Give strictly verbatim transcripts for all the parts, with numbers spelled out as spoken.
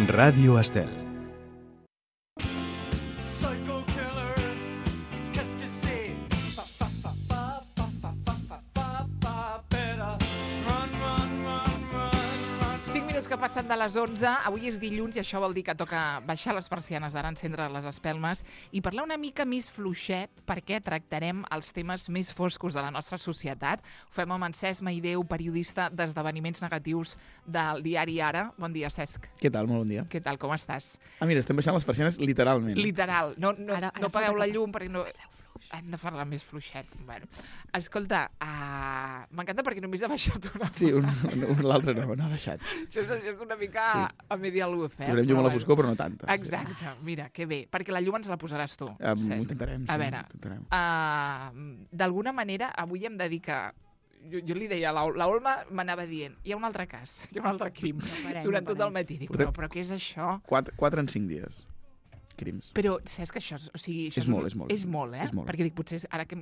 Ràdio Estel. Que passen de les onze, avui és dilluns i això vol dir que toca baixar les persianes, d'ara encendre les espelmes i parlar una mica més fluixet perquè tractarem els temes més foscos de la nostra societat. Ho fem amb en Cesc Maideu, periodista d'esdeveniments negatius del diari Ara. Bon dia, Cesc. Què tal? Molt bon dia. Què tal, com estàs? Ah, mira, estem baixant les persianes literalment. Literal. No, no, Ara- ara no apagueu falta la que- llum perquè no... Hem de parlar més fluixet. Bueno, escolta, uh, m'encanta perquè només ha baixat una. Sí, un, un, un l'altre no, no ha baixat. Això és, això és una mica Sí. a media luz, eh? Posarem llum a la Però foscor, però no tanta. Exacte, mira, que bé, perquè la llum ens la posaràs tu. Um, ho Cesc. intentarem, sí. A veure, Intentarem. uh, d'alguna manera, avui hem de dir que jo, jo li deia, la, la Olma m'anava dient, hi ha un altre cas, hi ha un altre crim, parem, durant no tot el parem. matí. Dic, Portem- però, però què és això? Quatre, quatre en cinc dies. Crims. Però saps que això, és- o sigui, això És molt, és molt. És molt, eh? És molt. Perquè dic, potser és- ara que...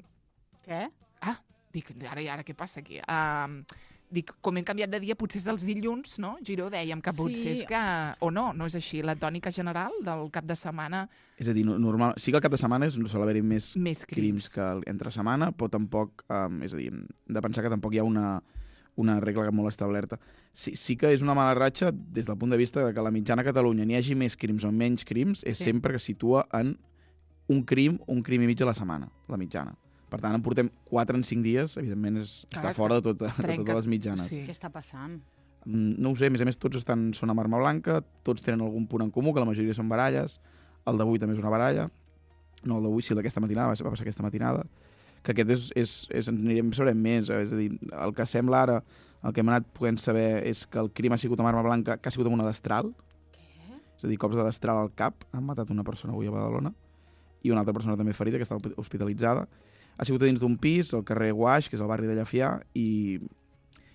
Què? Ah, dic, ara, ara què passa aquí? Uh, dic, com hem canviat de dia, potser és dels dilluns, no? Giró, dèiem que potser Sí. és que... O no, no és així. La tònica general del cap de setmana, És a dir, no- normal, sí que al cap de setmana no sol haver-hi més més crims crims. que el- entre setmana, però tampoc, um, és a dir, hem de pensar que tampoc hi ha una, una regla molt establerta. Sí, sí que és una mala ratxa des del punt de vista de que la mitjana a Catalunya n'hi hagi més crims o menys crims, és Sí. sempre que es situa en un crim, un crim i mig a la setmana, la mitjana. Per tant, en portem quatre en cinc dies, evidentment és, Clar, està és fora de, tot, de trenca- totes les mitjanes. Sí. Què està passant? Mm, No ho sé, a més a més tots estan, són amb arma blanca, tots tenen algun punt en comú, que la majoria són baralles, el d'avui també és una baralla, no el d'avui, sí el d'aquesta matinada, va passar aquesta matinada, que aquest és, és, és ens anirem sabrem més, és a dir, el que sembla ara, el que hem anat podent saber és que el crim ha sigut amb arma blanca, que ha sigut amb una destral, Què? és a dir, cops de destral al cap, han matat una persona avui a Badalona, i una altra persona també ferida, que està hospitalitzada. Ha sigut a dins d'un pis, al carrer Guaix, que és el barri de Llafià, i,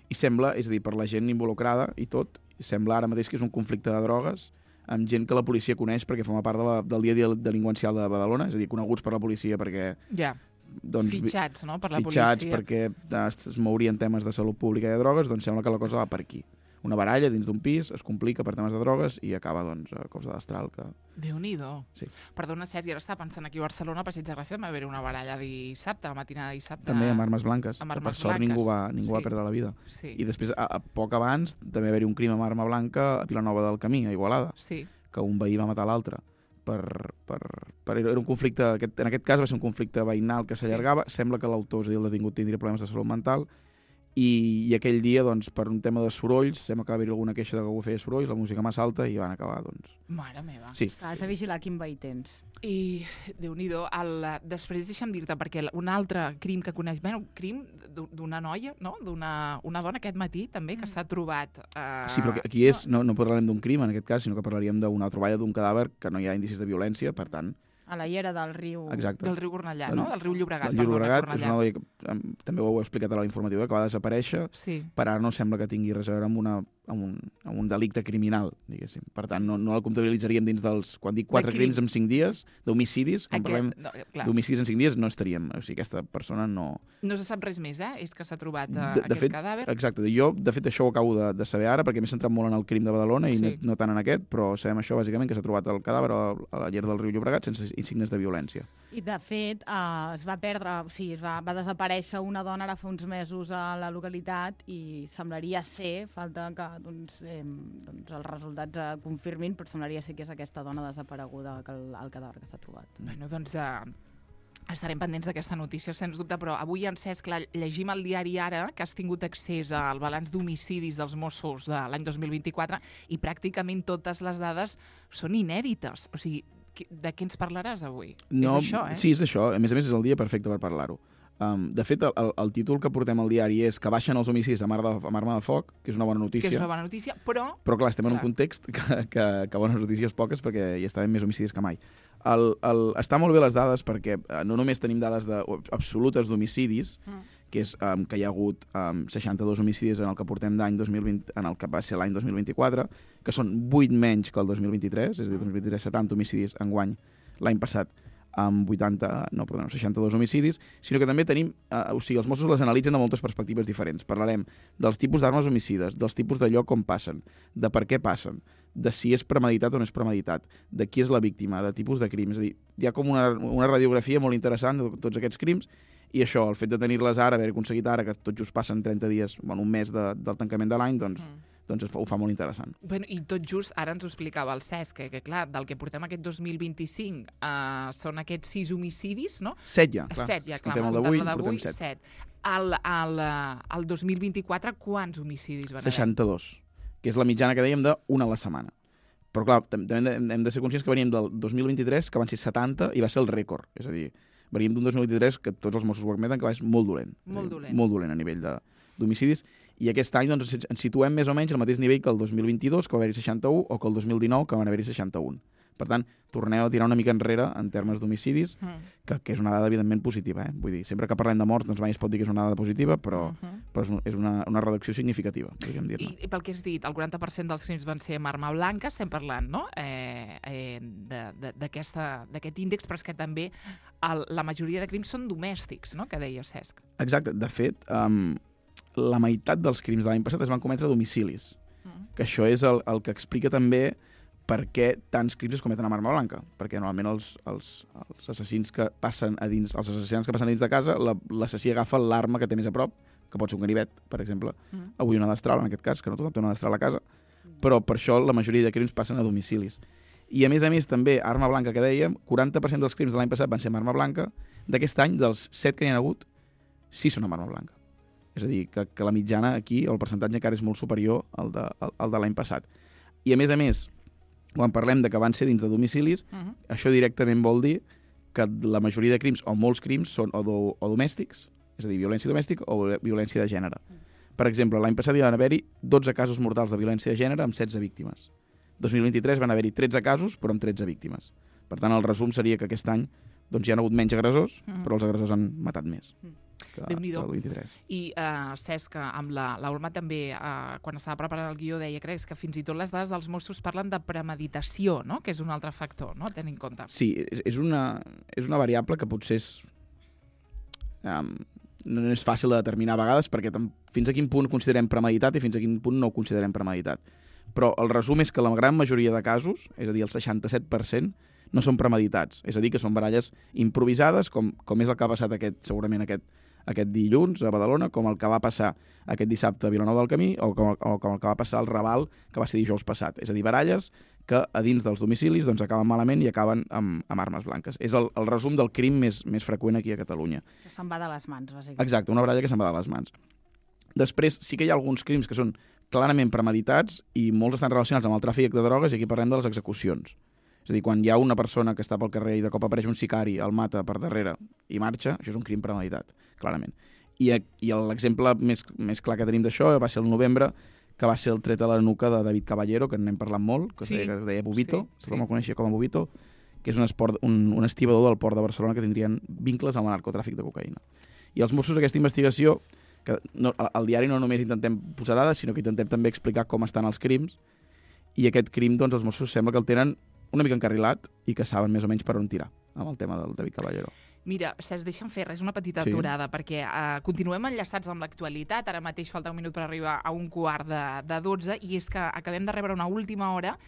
i sembla, és a dir, per la gent involucrada i tot, sembla ara mateix que és un conflicte de drogues amb gent que la policia coneix perquè forma part de la, del dia a dia delinqüencial de Badalona, és a dir, coneguts per la policia perquè... Ja, Doncs, fitxats, no?, per la fitxats policia. perquè es, es mourien temes de salut pública i de drogues, doncs sembla que la cosa va per aquí. Una baralla dins d'un pis, es complica per temes de drogues i acaba, doncs, a cops de destral. Que... Déu-n'hi-do. Sí. Perdona, Cesc, i ara estava pensant aquí a Barcelona, a Passeig de Gràcia, va haver una baralla dissabte, la matinada de dissabte. També amb armes blanques. Amb que armes per sort blanques. ningú va, ningú Sí. va perdre la vida. Sí, I després, a, a poc abans, també va haver un crim amb arma blanca a Vilanova del Camí, a Igualada, sí. que un veí va matar l'altre. Per, per, per, era un conflicte, aquest, en aquest cas va ser un conflicte veïnal que s'allargava, sí. Sembla que l'autor, és a dir, el detingut, tindria problemes de salut mental, i, i aquell dia, doncs, per un tema de sorolls, sembla que va haver alguna queixa de que algú feia sorolls, la música massa alta, i van acabar, doncs... Mare meva. Sí, Has de vigilar quin veí tens. I, Déu-n'hi-do, el, després deixa'm dir-te, perquè un altre crim que coneix, bueno, crim d'u- d'una noia, no?, d'una una dona aquest matí, també, que s'ha trobat... Eh, sí, però aquí és, no, no parlarem d'un crim, en aquest cas, sinó que parlaríem d'una troballa d'un cadàver que no hi ha indicis de violència, per tant... A la llera del riu... Exacte. Del riu Cornellà, Del- no?, del riu Llobregat. El Llobregat perdona, és una noia que em, també ho heu explicat a la informativa, que va desaparèixer, Sí. per ara no sembla que tingui res a veure amb, una, amb, un, amb un delicte criminal, diguéssim. Per tant, no, no el comptabilitzaríem dins dels... Quan dic quatre De crim. crims en cinc dies, d'homicidis, quan Aquest, parlem no, clar, d'homicidis en cinc dies, no estaríem. O sigui, aquesta persona no... no se sap res més, eh? És que s'ha trobat eh, De- de aquest fet, cadàver. Exacte. Jo, de fet, això ho acabo de, de saber ara, perquè m'he centrat molt en el crim de Badalona i Sí. no, no tant en aquest, però sabem això, bàsicament, que s'ha trobat el cadàver a, a la llar del riu Llobregat sense insignes de violència. I, de fet, eh, es va perdre, o sigui, es va, va desaparèixer una dona ara fa uns mesos a la localitat i semblaria ser, falta que doncs, eh, doncs els resultats eh, confirmin, però semblaria ser que és aquesta dona desapareguda que el, el cadàver que s'ha trobat. Bueno, doncs eh, estarem pendents d'aquesta notícia, sens dubte, però avui en Cesc clar, llegim al diari Ara que has tingut accés al balanç d'homicidis dels Mossos de l'any dos mil vint-i-quatre i pràcticament totes les dades són inèdites. O sigui, qui- de què ens parlaràs avui? No, és això, eh? Sí, és això. A més a més, és el dia perfecte per parlar-ho. Um, de fet, el, el, el títol que portem al diari és que baixen els homicidis amb, ar de, amb arma de foc, que és una bona Que notícia. és una bona notícia, però... Però clar, estem en Clar. un context que, que, que bones notícies poques perquè hi estaven més homicidis que mai. El, el, està molt bé les dades perquè eh, no només tenim dades de, absolutes d'homicidis, Mm. que és um, que hi ha hagut um, seixanta-dos homicidis en el que portem d'any dos mil vint, en el que va ser l'any dos mil vint-i-quatre, que són vuit menys que el dos mil vint-i-tres, és a dir, dos mil vint-i-tres setanta homicidis enguany l'any passat. amb vuitanta, no, perdó, seixanta-dos homicidis, sinó que també tenim, eh, o sigui, els Mossos les analitzen de moltes perspectives diferents. Parlarem dels tipus d'armes homicides, dels tipus de lloc on passen, de per què passen, de si és premeditat o no és premeditat, de qui és la víctima, de tipus de crims. És a dir, hi ha com una, una radiografia molt interessant de tots aquests crims, i això, el fet de tenir-les ara, haver aconseguit ara, que tot just passen trenta dies, bueno, un mes de, del tancament de l'any, doncs... Mm. doncs ho fa molt interessant. Bueno, i tot just, ara ens ho explicava el Cesc, que, que clar, del que portem aquest dos mil vint-i-cinc uh, són aquests sis homicidis, no? Set ja, clar. Set ja, clar. Portem el d'avui, portem set. set. El, el, el dos mil vint-i-quatre, quants homicidis van haver? seixanta-dos, que és la mitjana que dèiem d'una a la setmana. Però clar, també hem de ser conscients que veníem del dos mil vint-i-tres, que van ser setanta, i va ser el rècord. És a dir, veníem d'un dos mil vint-i-tres que tots els Mossos ho admeten que va ser molt dolent. Molt dir, dolent. Molt dolent a nivell d'homicidis. I aquest any doncs, ens situem més o menys al mateix nivell que el dos mil vint-i-dos, que va haver-hi seixanta-u, o que el dos mil dinou, que van haver-hi seixanta-un. Per tant, torneu a tirar una mica enrere en termes d'homicidis, mm. que, que és una dada evidentment positiva. Eh? Vull dir, sempre que parlem de morts, doncs mai es pot dir que és una dada positiva, però, mm -hmm. però és, un, és una, una reducció significativa, podríem dir-ne. I, I pel que has dit, el quaranta per cent dels crims van ser amb arma blanca, estem parlant, no?, eh, eh, d'aquest índex, però és que també el, la majoria de crims són domèstics, no?, que deia Cesc. Exacte. De fet, um, la meitat dels crims de l'any passat es van cometre a domicilis, mm. que això és el, el que explica també per què tants crims es cometen amb arma blanca. Perquè normalment els, els, els assassins que passen a dins, els assassinats que passen a dins de casa, l'assassí agafa l'arma que té més a prop, que pot ser un ganivet, per exemple, mm. avui una destral, en aquest cas, que no tothom té una destral a casa, però per això la majoria de crims passen a domicilis. I a més a més també, arma blanca que dèiem, quaranta per cent dels crims de l'any passat van ser amb arma blanca, d'aquest any, dels set que n'hi ha hagut, sis són amb arma blanca. És a dir, que, que la mitjana aquí, el percentatge encara és molt superior al de, al, al de l'any passat. I a més a més, quan parlem de que van ser dins de domicilis, uh -huh. això directament vol dir que la majoria de crims, o molts crims, són o, do, o domèstics, és a dir, violència domèstica o violència de gènere. Uh -huh. Per exemple, l'any passat hi van haver-hi dotze casos mortals de violència de gènere amb setze víctimes. dos mil vint-i-tres van haver-hi tretze casos, però amb tretze víctimes. Per tant, el resum seria que aquest any doncs, hi ha hagut menys agressors, uh -huh. però els agressors han matat més. Uh -huh. Déu-n'hi-do. I uh, Cesc, amb la, la Olma també, uh, quan estava preparant el guió, deia creus que fins i tot les dades dels Mossos parlen de premeditació, no?, que és un altre factor, no?, a tenir en compte. Sí, és, és, una, és una variable que potser és, um, no és fàcil de determinar a vegades, perquè tam, fins a quin punt considerem premeditat i fins a quin punt no ho considerem premeditat. Però el resum és que la gran majoria de casos, és a dir, el seixanta-set per cent, no són premeditats. És a dir, que són baralles improvisades, com, com és el que ha passat aquest, segurament aquest aquest dilluns a Badalona, com el que va passar aquest dissabte a Vilanova del Camí o com, o com el que va passar al Raval, que va ser dijous passat. És a dir, baralles que a dins dels domicilis doncs, acaben malament i acaben amb, amb armes blanques. És el, el resum del crim més, més freqüent aquí a Catalunya. Que se'n va de les mans, bàsicament. Exacte, una baralla que se'n va de les mans. Després, sí que hi ha alguns crims que són clarament premeditats i molts estan relacionats amb el tràfic de drogues, i aquí parlem de les execucions. És a dir, quan hi ha una persona que està pel carrer i de cop apareix un sicari, el mata per darrere i marxa, això és un crim premeditat, clarament. I, i l'exemple més, més clar que tenim d'això va ser el novembre, que va ser el tret a la nuca de David Caballero, que n'hem parlat molt, que, sí. es, deia, que es deia Bobito, sí, sí. Com el coneixia com a Bobito, que és un, esport, un, un estibador del port de Barcelona que tindrien vincles amb el narcotràfic de cocaïna. I els Mossos, aquesta investigació, que no, al diari no només intentem posar dades, sinó que intentem també explicar com estan els crims, i aquest crim, doncs, els Mossos sembla que el tenen una mica encarrilat i que saben més o menys per on tirar amb el tema del David Caballero. Mira, Cesc, deixa'm fer res, una petita sí. aturada, perquè uh, continuem enllaçats amb l'actualitat. Ara mateix falta un minut per arribar a un quart de, de dotze, i és que acabem de rebre una última hora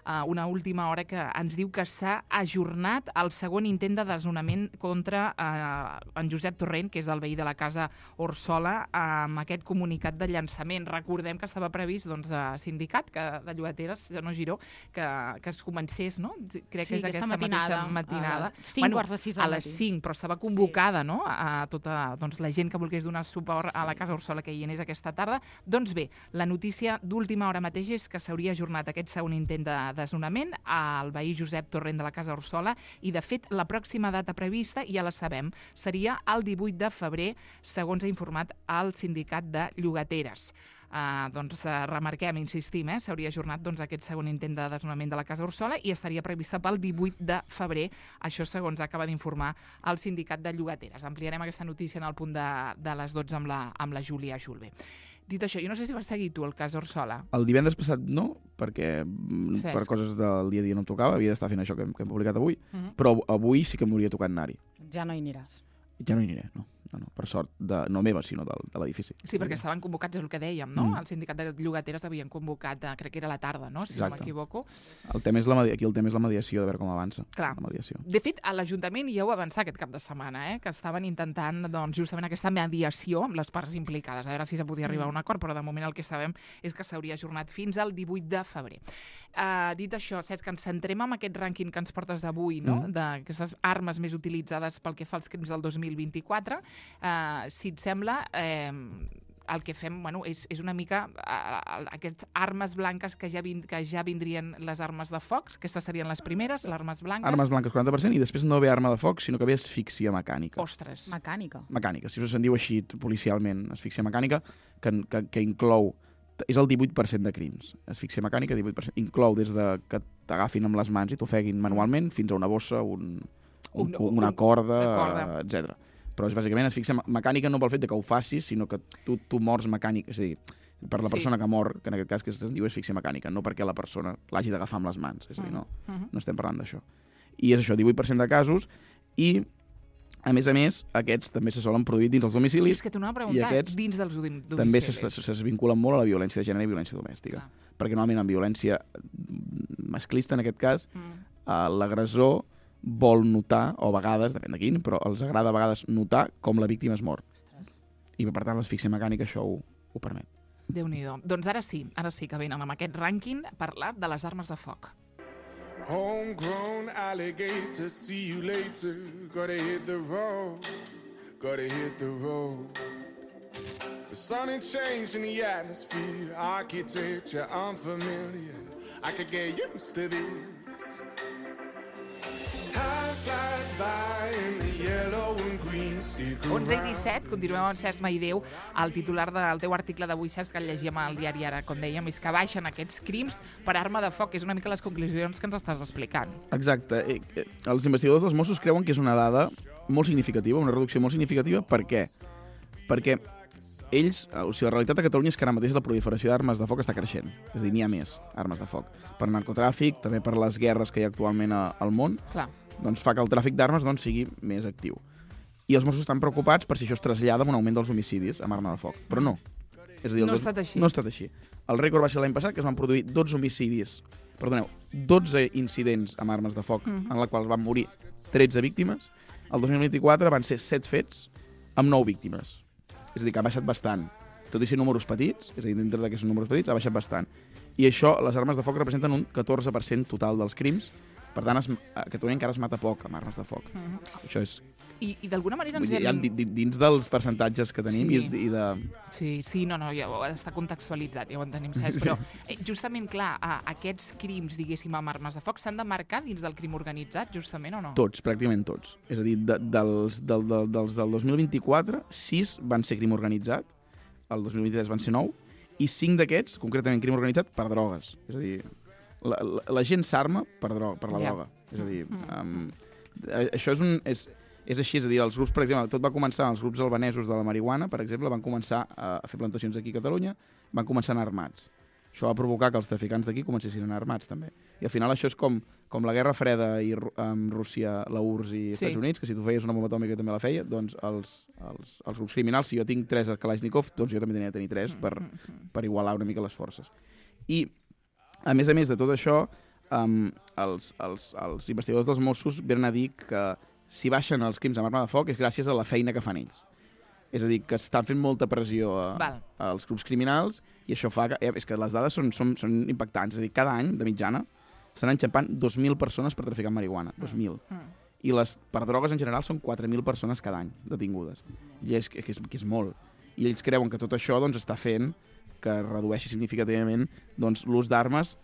Uh, una última hora que ens diu que s'ha ajornat el segon intent de desnonament contra uh, en Josep Torrent, que és el veí de la casa Orsola, uh, amb aquest comunicat de llançament. Recordem que estava previst, doncs, de sindicat que, de llogateres, no Giró, que, que es comencés, no? Crec sí, que és aquesta matinada, mateixa matinada. A les cinc bueno, quarts de sis a les cinc, però estava convocada, sí. no?, a tota doncs, la gent que volgués donar suport a la casa Orsola que hi anés aquesta tarda. Doncs bé, la notícia d'última hora mateix és que s'hauria ajornat aquest segon intent de desnonament al veí Josep Torrent de la casa Orsola, i de fet la pròxima data prevista ja la sabem, seria el divuit de febrer, segons ha informat el sindicat de llogateres. Uh, doncs uh, remarquem, insistim, eh? s'hauria ajornat doncs, aquest segon intent de desnonament de la casa Orsola i estaria prevista pel divuit de febrer, això segons acaba d'informar el sindicat de llogateres. Ampliarem aquesta notícia en el punt de, de les dotze amb la, amb la Júlia Julve. Dit això, jo no sé si vas seguir tu el cas Orsola. El divendres passat no, perquè mm, Cesc. per coses del dia a dia no em tocava, havia d'estar fent això que hem, que hem publicat avui, Uh -huh. però avui sí que m'hauria tocat anar-hi. Ja no hi aniràs. Ja no hi aniré, no. No, no, per sort, de, no meva, sinó de, de l'edifici. Sí, perquè estaven convocats, és el que dèiem, no? Mm. El sindicat de llogateres havien convocat, eh, crec que era a la tarda, no? Si Exacte. no m'equivoco. El tema és la, medi- aquí el tema és la mediació, de veure com avança. Clar. La mediació. De fet, a l'Ajuntament ja ho avançar aquest cap de setmana, eh? Que estaven intentant doncs, justament aquesta mediació amb les parts implicades, a veure si se podia arribar a un acord, però de moment el que sabem és que s'hauria ajornat fins al divuit de febrer. Uh, dit això, Cesc, que ens centrem en aquest rànquing que ens portes d'avui, no? Mm. D'aquestes armes més utilitzades pel que fa als crims del dos mil vint-i-quatre. Uh, si et sembla, eh, el que fem bueno, és, és una mica uh, aquestes armes blanques que ja, vind, que ja vindrien les armes de foc, aquestes serien les primeres, les armes blanques. Armes blanques quaranta per cent i després no ve arma de foc, sinó que ve asfíxia mecànica. Ostres. Mecànica. Mecànica, si se'n diu així policialment, asfíxia mecànica, que, que, que inclou, és el divuit per cent de crims. Asfíxia mecànica, divuit per cent. Inclou des de que t'agafin amb les mans i t'ofeguin manualment fins a una bossa, un, un, Un- una corda, una corda. etcètera. Però és bàsicament asfíxia me- mecànica no pel fet de que ho facis, sinó que tu, tu mors mecànic, és a dir, per la Sí. persona que mor, que en aquest cas que es diu asfíxia mecànica, no perquè la persona l'hagi d'agafar amb les mans, és a dir, no, Uh -huh. no estem parlant d'això. I és això, divuit per cent de casos, i a més a més, aquests també se solen produir dins els domicilis, És que t'ho anava a i preguntar, aquests dins dels dom- domicilis. també s'es- s'es vinculen molt a la violència de gènere i violència domèstica. Clar. Perquè normalment en violència masclista, en aquest cas, Mm. eh, l'agressor vol notar, o a vegades, depèn de quin, però els agrada a vegades notar com la víctima es mor. I per tant l'asfíxia mecànica això ho, ho permet. Déu-n'hi-do. Doncs ara sí, ara sí que venen amb aquest rànquing a parlar de les armes de foc. Homegrown alligator, see you later. Gotta hit the road, gotta hit the road. The sun ain't changing the atmosphere, architecture unfamiliar. I could get used to this. Time flies by in the yellow and green stick onze i around. disset, continuem amb Cesc Maideu. El titular del teu article d'avui, Cesc, que el llegíem al diari ara, com dèiem, és que baixen aquests crims per arma de foc. És una mica les conclusions que ens estàs explicant. Exacte. Eh, eh, Els investigadors dels Mossos creuen que és una dada molt significativa, una reducció molt significativa. Per què? Perquè ells, o sigui, la realitat a Catalunya és que ara mateix la proliferació d'armes de foc està creixent. És a dir, n'hi ha més armes de foc. Per narcotràfic, també per les guerres que hi ha actualment a, al món, Clar. doncs fa que el tràfic d'armes doncs, sigui més actiu. I els Mossos estan preocupats per si això es trasllada amb un augment dels homicidis amb arma de foc. Però no. És a dir, el No ha dos- estat així. No ha estat així. El rècord va ser l'any passat, que es van produir dotze homicidis, perdoneu, dotze incidents amb armes de foc, Mhm. en la qual van morir tretze víctimes. El dos mil vint-i-quatre van ser set fets amb nou víctimes. És a dir, que ha baixat bastant. Tot i ser números petits, és a dir, dintre d'aquests números petits, ha baixat bastant. I això, les armes de foc representen un catorze per cent total dels crims. Per tant, es, a Catalunya encara es mata poc amb armes de foc. Mhm. Això és... I, i d'alguna manera Vull ens dir, ja, hem... di- di- dins dels percentatges que tenim Sí. i, i de... Sí, sí, no, no, ja ho- està contextualitzat, ja ho entenem, Cesc, però eh, justament, clar, a, aquests crims, diguéssim, amb armes de foc s'han de marcar dins del crim organitzat, justament, o no? Tots, pràcticament tots. És a dir, de, dels, del, del, dels del dos mil vint-i-quatre, sis van ser crim organitzat, el dos mil vint-i-tres van ser nou, i cinc d'aquests, concretament crim organitzat, per drogues. És a dir, la, la, la gent s'arma per, droga, per la Ja. droga. És a dir, Mm. um, això és, un, és, és així, és a dir, els grups, per exemple, tot va començar, els grups albanesos de la marihuana, per exemple, van començar a fer plantacions aquí a Catalunya, van començar a anar armats. Això va provocar que els traficants d'aquí comencessin a anar armats, també. I al final això és com, com la Guerra Freda i, Ru- amb Rússia, la U R S S i Estats Sí. Units, que si tu feies una bomba atòmica també la feia, doncs els, els, els grups criminals, si jo tinc tres Kalashnikov, doncs jo també tenia de tenir tres per, per igualar una mica les forces. I, a més a més de tot això, um, els, els, els investigadors dels Mossos venen a dir que si baixen els crims amb arma de foc és gràcies a la feina que fan ells. És a dir, que estan fent molta pressió a, Val. als grups criminals i això fa que... Eh, és que les dades són, són, són impactants. És a dir, cada any, de mitjana, estan enxampant dos mil persones per traficar amb marihuana. dos mil. Mm. I les, per drogues en general són quatre mil persones cada any detingudes. I és que, que, és, que és molt. I ells creuen que tot això doncs, està fent que redueixi significativament doncs, l'ús d'armes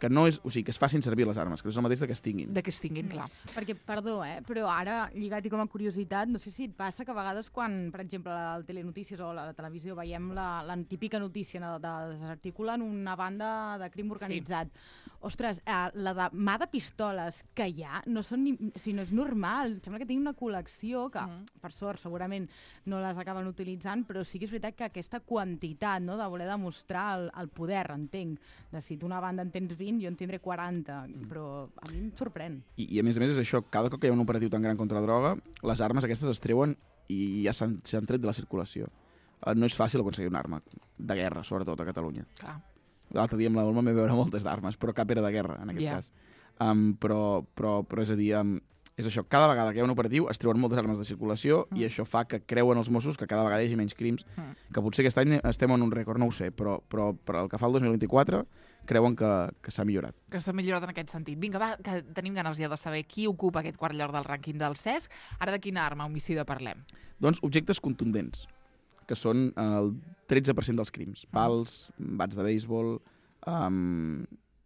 que no és, o sigui, que es facin servir les armes, que no és el mateix de que es tinguin. De que es tinguin, clar. Perquè, perdó, eh, però ara, lligat i com a curiositat, no sé si et passa que a vegades quan, per exemple, al Telenotícies o a la televisió veiem la, la típica notícia de, de desarticulen una banda de crim organitzat. Sí. Ostres, eh, la de mà de pistoles que hi ha no, són ni, o sigui, no és normal. Sembla que tinguin una col·lecció que, mm. per sort, segurament no les acaben utilitzant, però sí que és veritat que aquesta quantitat, no?, de voler demostrar el, el poder, entenc. De si tu una banda en tens vint, jo en tindré quaranta, mm. però a mi em sorprèn. I, I a més a més és això, cada cop que hi ha un operatiu tan gran contra la droga, les armes aquestes es treuen i ja s'han tret de la circulació. Uh, no és fàcil aconseguir una arma de guerra, sobretot a Catalunya. Clar. L'altre dia amb la Olma vam veure moltes d'armes, però cap era de guerra, en aquest yeah. cas. Um, però, però, però és a dir, um, és això, cada vegada que hi ha un operatiu es treuen moltes armes de circulació mm. i això fa que creuen els Mossos que cada vegada hi hagi menys crims, mm. que potser aquest any estem en un rècord, no ho sé, però, però per el que fa el dos mil vint-i-quatre creuen que, que s'ha millorat. Que s'ha millorat en aquest sentit. Vinga, va, que tenim ganes ja de saber qui ocupa aquest quart lloc del rànquing del C E S. Ara de quina arma homicida parlem? Doncs objectes contundents, que són el tretze per cent dels crims. Pals, bats de béisbol, um,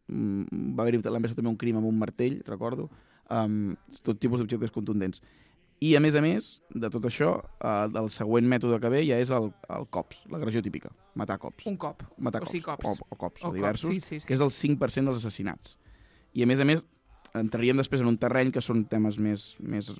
va haver-hi l'any passat també un crim amb un martell, recordo, um, tot tipus d'objectes contundents. I, a més a més, de tot això, uh, el següent mètode que ve ja és el, el cops, l'agressió típica, matar cops. Un cop. Matar o cops. sigui, cops. O, o cops, o, o diversos, cops. Sí, sí, sí. que és el cinc per cent dels assassinats. I, a més a més, entraríem després en un terreny que són temes més, més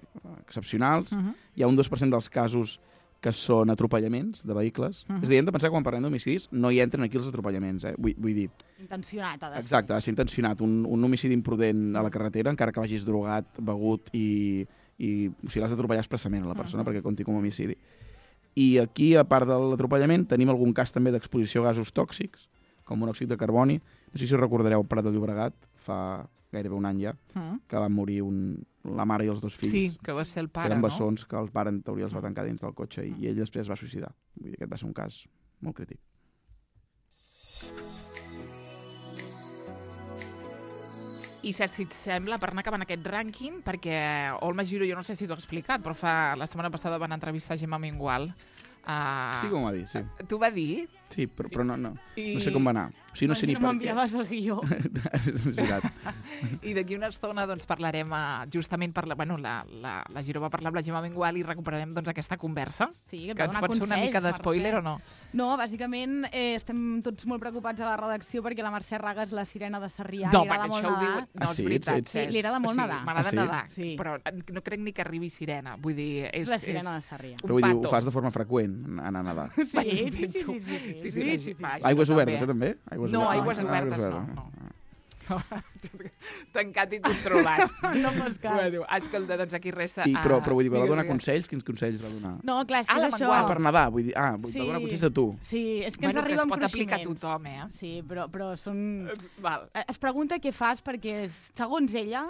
excepcionals. Uh-huh. Hi ha un dos per cent dels casos que són atropellaments de vehicles. Uh-huh. És a dir, hem de pensar que quan parlem d'homicidis no hi entren aquí els atropellaments, eh? Vull, vull dir... Intencionat, ha de ser. Exacte, ha de ser intencionat. Un, un homicidi imprudent a la carretera, encara que vagis drogat, begut i... i o sigui, l'has d'atropellar expressament a la persona uh-huh. perquè compti com a homicidi. I aquí, a part de l'atropellament, tenim algun cas també d'exposició a gasos tòxics, com monòxid de carboni. No sé si recordareu Prat de Llobregat, fa gairebé un any ja, uh-huh. que van morir un, la mare i els dos fills. Sí, que va ser el pare, eren no? bessons, que el pare en teoria els va tancar dins del cotxe i, i ell després es va suïcidar. Vull dir, aquest va ser un cas molt crític. I Cesc, si et sembla, per anar acabant aquest rànquing, perquè Olma Giró, jo no sé si t'ho he explicat, però fa la setmana passada van entrevistar Gemma Mengual. Uh, sí, com va dir, sí. T'ho va dir? Sí, però, però no, no, I... no sé com va anar. O sigui, no sé ni per què. M'enviaves el guió. És veritat. I d'aquí una estona doncs, parlarem, uh, justament, parla, bueno, la, la, la Giró va parlar amb la Gemma Mengual i recuperarem doncs, aquesta conversa. Sí, que, que ens pots fer una mica d'espoiler o no? No, bàsicament eh, estem tots molt preocupats a la redacció perquè la Mercè Raga és la sirena de Sarrià. No, perquè això ho diu... No, ah, és veritat. Sí, sí, li agrada molt o sigui, nedar. M'agrada ah, sí? nedar, sí. però no crec ni que arribi sirena. Vull dir, és... És la sirena és de Sarrià. Però vull dir, ho fas de forma freqüent, anar a nedar. Sí, sí, sí, sí, sí, sí, sí, sí, sí, sí. Aigües obertes, això també? Aigües no, obertes. aigües obertes no. no. Tancat i controlat. No fos cas. Bueno, escolta, doncs aquí resta... I, però, però vull dir, va digues, donar digues. consells? Quins consells va donar? No, clar, és que Ah, és la això. Ah, per nedar, vull dir, ah, vull Sí. donar consells a tu. Sí, és que Bueno, ens que arriben es pot aplicar a cruiximents. tothom, eh? Sí, però, però són... Val. Es pregunta què fas perquè, segons ella,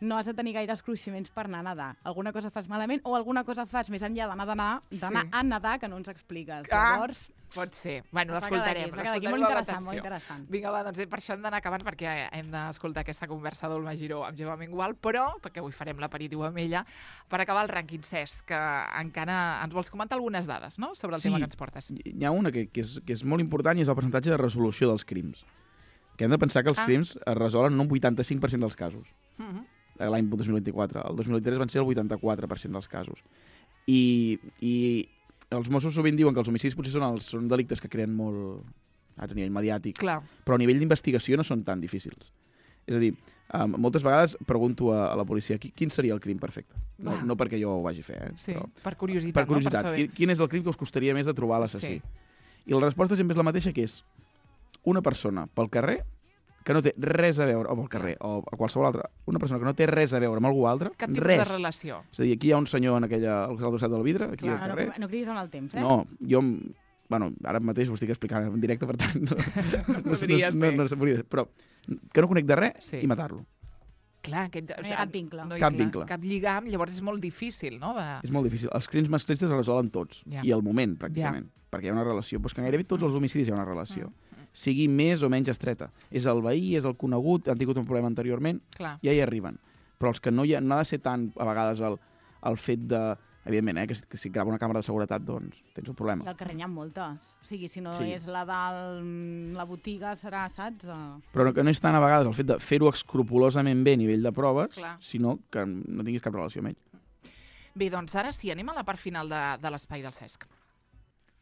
no has de tenir gaires cruiximents per anar a nedar. Alguna cosa fas malament o alguna cosa fas més enllà d'anar a nedar, d'anar Sí. a nedar que no ens expliques. Ah. Llavors, Pot ser. Bueno, Es va quedar l'escoltarem. aquí, es va quedar aquí. l'escoltarem Molt amb interessant, atenció. molt interessant. Vinga, va, doncs per això hem d'anar acabant perquè hem d'escoltar aquesta conversa d'Olma Giró amb Gemma Mengual, però, perquè avui farem l'aperitiu amb ella, per acabar el rànquing Cesc, que encara ens vols comentar algunes dades, no?, sobre el Sí. tema que ens portes. Hi ha una que, que, és, que és molt important i és el percentatge de resolució dels crims. Que hem de pensar que els Ah. crims es resolen en un vuitanta-cinc per cent dels casos. Uh -huh. L'any dos mil vint-i-quatre. El dos mil vint-i-tres van ser el vuitanta-quatre per cent dels casos. I, i els Mossos sovint diuen que els homicidis potser són, els, són delictes que creen molt a nivell mediàtic, Clar. però a nivell d'investigació no són tan difícils. És a dir, um, moltes vegades pregunto a, a la policia qui, quin seria el crim perfecte. No, Va. no perquè jo ho vagi a fer, eh? Sí, però per curiositat, per curiositat. no? Per Quin, saber. quin és el crim que us costaria més de trobar l'assassí? Sí. I la resposta sempre és la mateixa, que és una persona pel carrer que no té res a veure, o pel carrer, o a qualsevol altra, una persona que no té res a veure amb algú altre, Cap tipus res. de relació. És a dir, aquí hi ha un senyor en aquella, al costat del vidre, aquí Clar, al Ah, no, carrer. no cridis en el temps, eh? No, jo... Bueno, ara mateix ho estic explicant en directe, per tant... No, no, Podria no, no, ser. no, no, no, però que no conec de res Sí. i matar-lo. Clar, aquest, No hi ha cap vincle. No hi, Cap clar, vincle. Cap lligam, llavors és molt difícil, no? De... És molt difícil. Els crims masclistes es resolen tots. Ja. I al moment, pràcticament. Perquè hi ha una relació. Però és que gairebé tots els homicidis hi ha una relació. Mm. Sigui més o menys estreta. És el veí, és el conegut, han tingut un problema anteriorment, Clar. ja hi arriben. Però els que no hi ha, no ha de ser tant, a vegades, el, el fet de Evidentment, eh, que, si, que si grava una càmera de seguretat, doncs tens un problema. I al carrer n'hi ha moltes. O sigui, si no Sí. és la de la botiga, serà, saps? Uh... Però no, que no és tant a vegades el fet de fer-ho escrupolosament bé a nivell de proves, Clar. sinó que no tinguis cap relació amb ell. Bé, doncs ara sí, anem a la part final de, de l'espai del Cesc.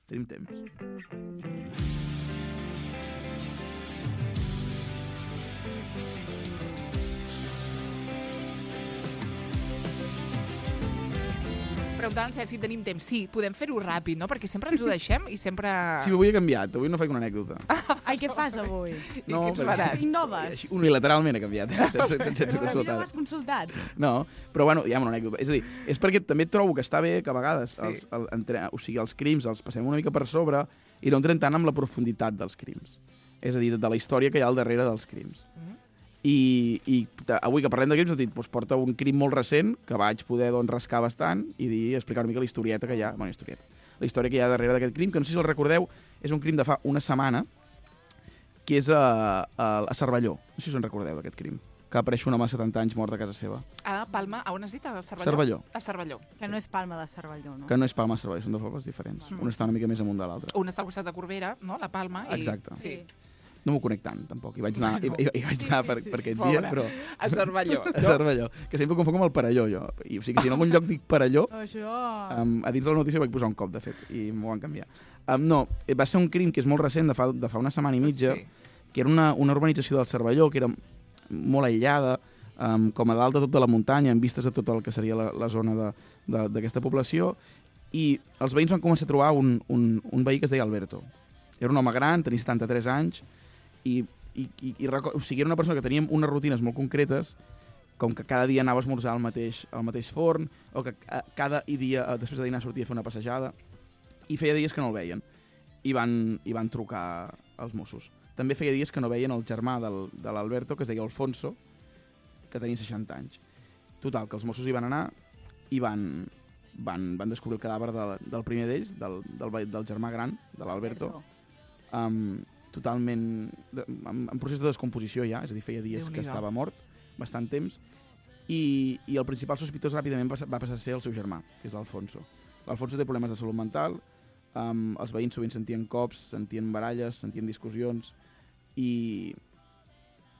Tenim temps. Preguntant si tenim temps. Sí, podem fer-ho ràpid, no? Perquè sempre ens ho deixem i sempre... Sí, avui he canviat. Avui no faig una anècdota. Ai, què fas avui? I què ens faràs? Innoves? Així, unilateralment he canviat. Eh? Sense, sense Però no consultar. m'has consultat. No, però bueno, hi ha una anècdota. És a dir, és perquè també trobo que està bé que a vegades Sí. els, el, entre, o sigui, els crims els passem una mica per sobre i no entrem tant amb la profunditat dels crims. És a dir, de la història que hi ha al darrere dels crims. Mm. I, i t- avui que parlem de crims, dit, doncs porta un crim molt recent que vaig poder doncs, rascar bastant i dir, explicar una mica la historieta que hi ha, bueno, historieta, la història que hi ha darrere d'aquest crim, que no sé si el recordeu, és un crim de fa una setmana, que és a, a, a Cervelló. No sé si us en recordeu d'aquest crim, que apareix un home de setanta anys mort a casa seva. A Palma, a on has dit? A Cervelló? Cervelló. A Cervelló. Que no és Palma de Cervelló, no? Que no és Palma, Cervelló, són dos pobles diferents. Mm. Un està una mica més amunt de l'altre. Un està al costat de Corbera, no? La Palma. I... Exacte. Sí. No m'ho conec tant, tampoc. Hi vaig anar, hi, hi, hi vaig anar per, per aquest Pobre. dia, però... A Cervelló. A Cervelló. Que sempre confonc amb el Perelló, jo. I, o sigui, que si en algun lloc dic Perelló, Això... um, a dins de la notícia vaig posar un cop, de fet, i m'ho van canviar. Um, no, va ser un crim que és molt recent, de fa, de fa una setmana i mitja, Sí. que era una, una urbanització del Cervelló, que era molt aïllada, um, com a dalt de tota la muntanya, amb vistes a tot el que seria la, la zona de- de- d'aquesta població, i els veïns van començar a trobar un, un, un veí que es deia Alberto. Era un home gran, tenia setanta-tres anys, i, i, i, i reco- o sigui, era una persona que teníem unes rutines molt concretes, com que cada dia anava a esmorzar al mateix, al mateix forn, o que eh, cada dia, eh, després de dinar, sortia a fer una passejada, i feia dies que no el veien. I van, i van trucar als Mossos. També feia dies que no veien el germà del, de l'Alberto, que es deia Alfonso, que tenia seixanta anys. Total, que els Mossos hi van anar i van, van, van descobrir el cadàver del, del primer d'ells, del, del, ve- del germà gran, de l'Alberto, um, totalment de, en, en procés de descomposició ja, és a dir, feia dies que Déu-n'hi-do. estava mort, bastant temps, i, i el principal sospitós ràpidament va, va passar a ser el seu germà, que és l'Alfonso. L'Alfonso té problemes de salut mental, um, els veïns sovint sentien cops, sentien baralles, sentien discussions, i,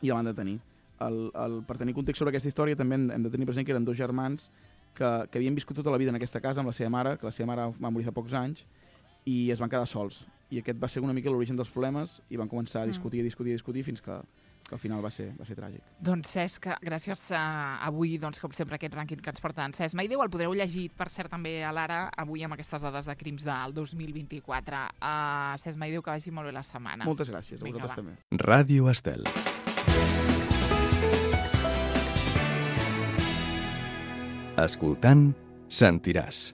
i el van detenir. El, el, per tenir context sobre aquesta història també hem, hem de tenir present que eren dos germans que, que havien viscut tota la vida en aquesta casa amb la seva mare, que la seva mare va morir fa pocs anys, i es van quedar sols. I aquest va ser una mica l'origen dels problemes i van començar a discutir, a discutir, a discutir fins que, que al final va ser, va ser tràgic. Doncs Cesc, gràcies a avui, doncs, com sempre, aquest rànquing que ens porta en Cesc Maideu. El podreu llegir, per cert, també a l'Ara, avui amb aquestes dades de crims del dos mil vint-i-quatre. Uh, Cesc Maideu, que vagi molt bé la setmana. Moltes gràcies, a Vinga, vosaltres va. també. Ràdio Estel. Escoltant, sentiràs.